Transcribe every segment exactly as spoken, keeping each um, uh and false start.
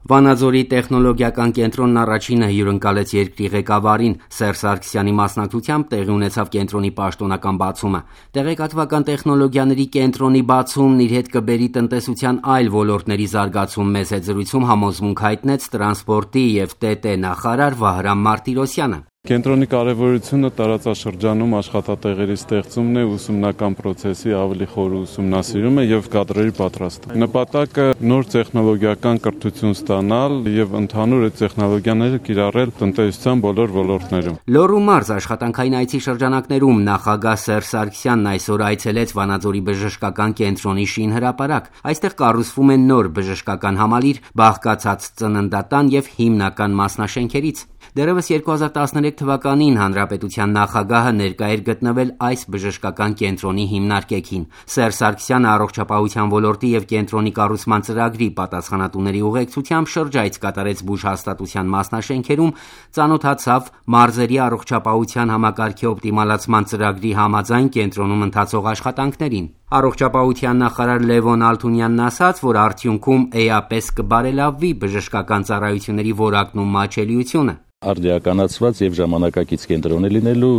Վանաձորի տեխնոլոգիական կենտրոնն առաջինը հյուրընկալեց երկրի ղեկավարին։ Սերժ Սարգսյանի մասնակցությամբ տեղի ունեցավ կենտրոնի պաշտոնական բացումը։ Տեղեկատվական տեխնոլոգիաների կենտրոնի բացումն իր հետ կբերի տնտեսության այլ ոլորտների զարգացում։ Մեծ հետ զրույցում համոզմունք հայտնեց տրանսպորտի եւ ՏՏ նախարար Վահրամ Մարտիրոսյանը։ Կենտրոնի կարևորությունը տարածաշրջանում աշխատատեղերի ստեղծումն է, ուսումնական process-ի ավելի խոր ուսումնասիրումը եւ կադրերի պատրաստումը։ Նպատակը նոր տեխնոլոգիական կրթություն ստանալ եւ ընդհանուր այդ տեխնոլոգիաները կիրառել տնտեսության բոլոր ոլորտներում։ Լոռու մարզ աշխատանքային այցի շրջանակներում նախագահ Սերժ Սարգսյանն այսօր այցելեց Վանաձորի բժշկական կենտրոնի շինհրապարակ։ Այստեղ կառուցվում է նոր բժշկական համալիր, բաղկացած ծննդատան եւ հիմնական մասնաշենքերից։ Դեռևս երկու հազար տասներեք թվականին հանրապետության նախագահը ներկա էր գտնվել այս բժշկական կենտրոնի հիմնարկեքին։ Սերժ Սարգսյանը առողջապահության ոլորտի եւ կենտրոնի կառուցման ծրագրի պատասխանատուների ուղեկցությամբ շրջայց կատարեց բուժհաստատության մասնաշենքերում, ծանոթացավ մարզերի առողջապահության համակարգի օպտիմալացման ծրագրի համաձայն կենտրոնում ընթացող աշխատանքներին։ Առողջապահության նախարար Լևոն Ալթունյանն ասաց, որ արդյունքում էապես կբարելավվի բժշկական ծառայությունների որակն ու մատչելիությունը։ Արդիականացված եւ ժամանակակից կենտրոն է լինելու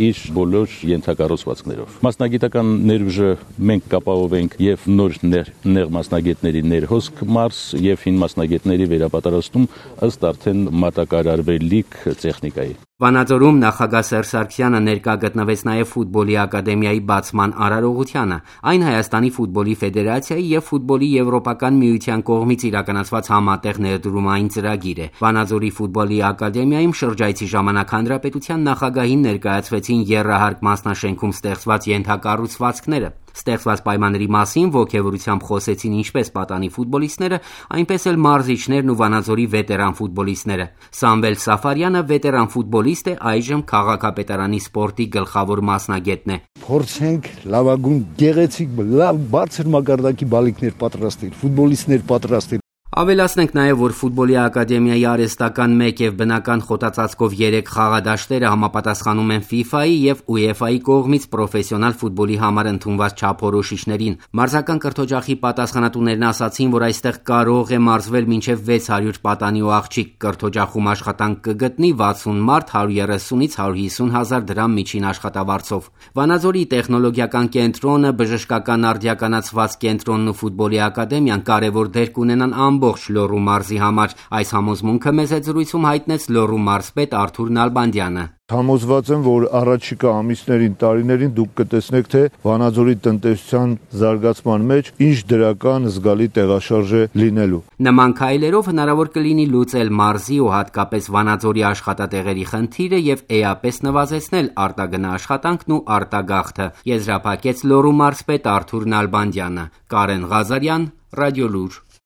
իր բոլոր ենթակառուցվածքներով։ Մասնագիտական ներուժը մենք կապահովենք եւ նոր ներ, ներ մասնագետների ներհոսք մարզ եւ հին մասնագետների վերապատրաստում ըստ արդեն մատակարարվելիք տեխնիկայի։ Վանաձորում նախագահ Սերժ Սարգսյանը ներկա գտնվեց նաև ֆուտբոլի ակադեմիայի բացման արարողությանը։ Այն Հայաստանի ֆուտբոլի ֆեդերացիայի եւ ֆուտբոլի եվրոպական միության կողմից իրականացված համատեղ ներդրումային ծրագիր է։ Վանաձորի ֆուտբոլի ակադեմիայում շրջայցի ժամանակ հանրապետության նախագահին ներկայացվեցին եռահարկ մասնաշենքում ստեղծված ենթակառուցվածքները։ Ստեղծված պայմանների մասին ոգևորությամբ խոսեցին ինչպես պատանի ֆուտբոլիստները, այնպես էլ մարզիչներն ու Վանաձորի վետերան ֆուտբոլիստները։ Սամվել Սաֆարյանը վետերան ֆուտբոլիստ է, այժմ քաղաքապետարանի սպորտի գլխավոր մասնագետն է։ Փորձենք լավագույն գեղեցիկ, լավ բարձր մակարդակի բալիկներ պատրաստել, ֆուտբոլիստներ պատրաստել։ Ավելացնենք նաև, որ ֆուտբոլի ակադեմիայի արհեստական մեկ եւ բնական խոտածածկով երեք խաղադաշտերը համապատասխանում են ֆիֆայի եւ ՈՒԵՖԱ-ի կողմից պրոֆեսիոնալ ֆուտբոլի համար ընդունված չափորոշիչներին։ Մարզական կրթօջախի պատասխանատուներն ասացին, որ այստեղ կարող է մարզվել մինչեւ վեց հարյուր պատանի ու աղջիկ։ Կրթօջախում աշխատանք կգտնի վաթսուն մարդ հարյուր երեսունից հարյուր հիսուն հազար դրամ միջին աշխատավարձով։ Վանաձորի տեխնոլոգիական կենտրոնը, բժշկական արդիականացված կենտրոնն ու ֆուտբոլի ակադեմիան կարևոր դեր կունենան ամբողջ Լոռու մարզի համար։ Այս համոզմունքը մեծ հետ զրույցում հայտնեց Լոռու մարզպետ Արթուր Նալբանդյանը։ Համոզված եմ, որ առաջիկա ամիսներին, տարիներին դուք կտեսնեք, թե Վանաձորի տնտեսության զարգացման մեջ ինչ դրական զգալի տեղաշարժ է լինելու։ Նման քայլերով հնարավոր կլինի լուծել մարզի ու հատկապես Վանաձորի աշխատատեղերի խնդիրը եւ էապես նվազեցնել արտագնա աշխատանքն ու արտագաղթը։ Եզրափակեց Լոռու մարզպետ Արթուր Նալբանդյանը։ Կարեն Ղազարյան, Ռադիոլուր։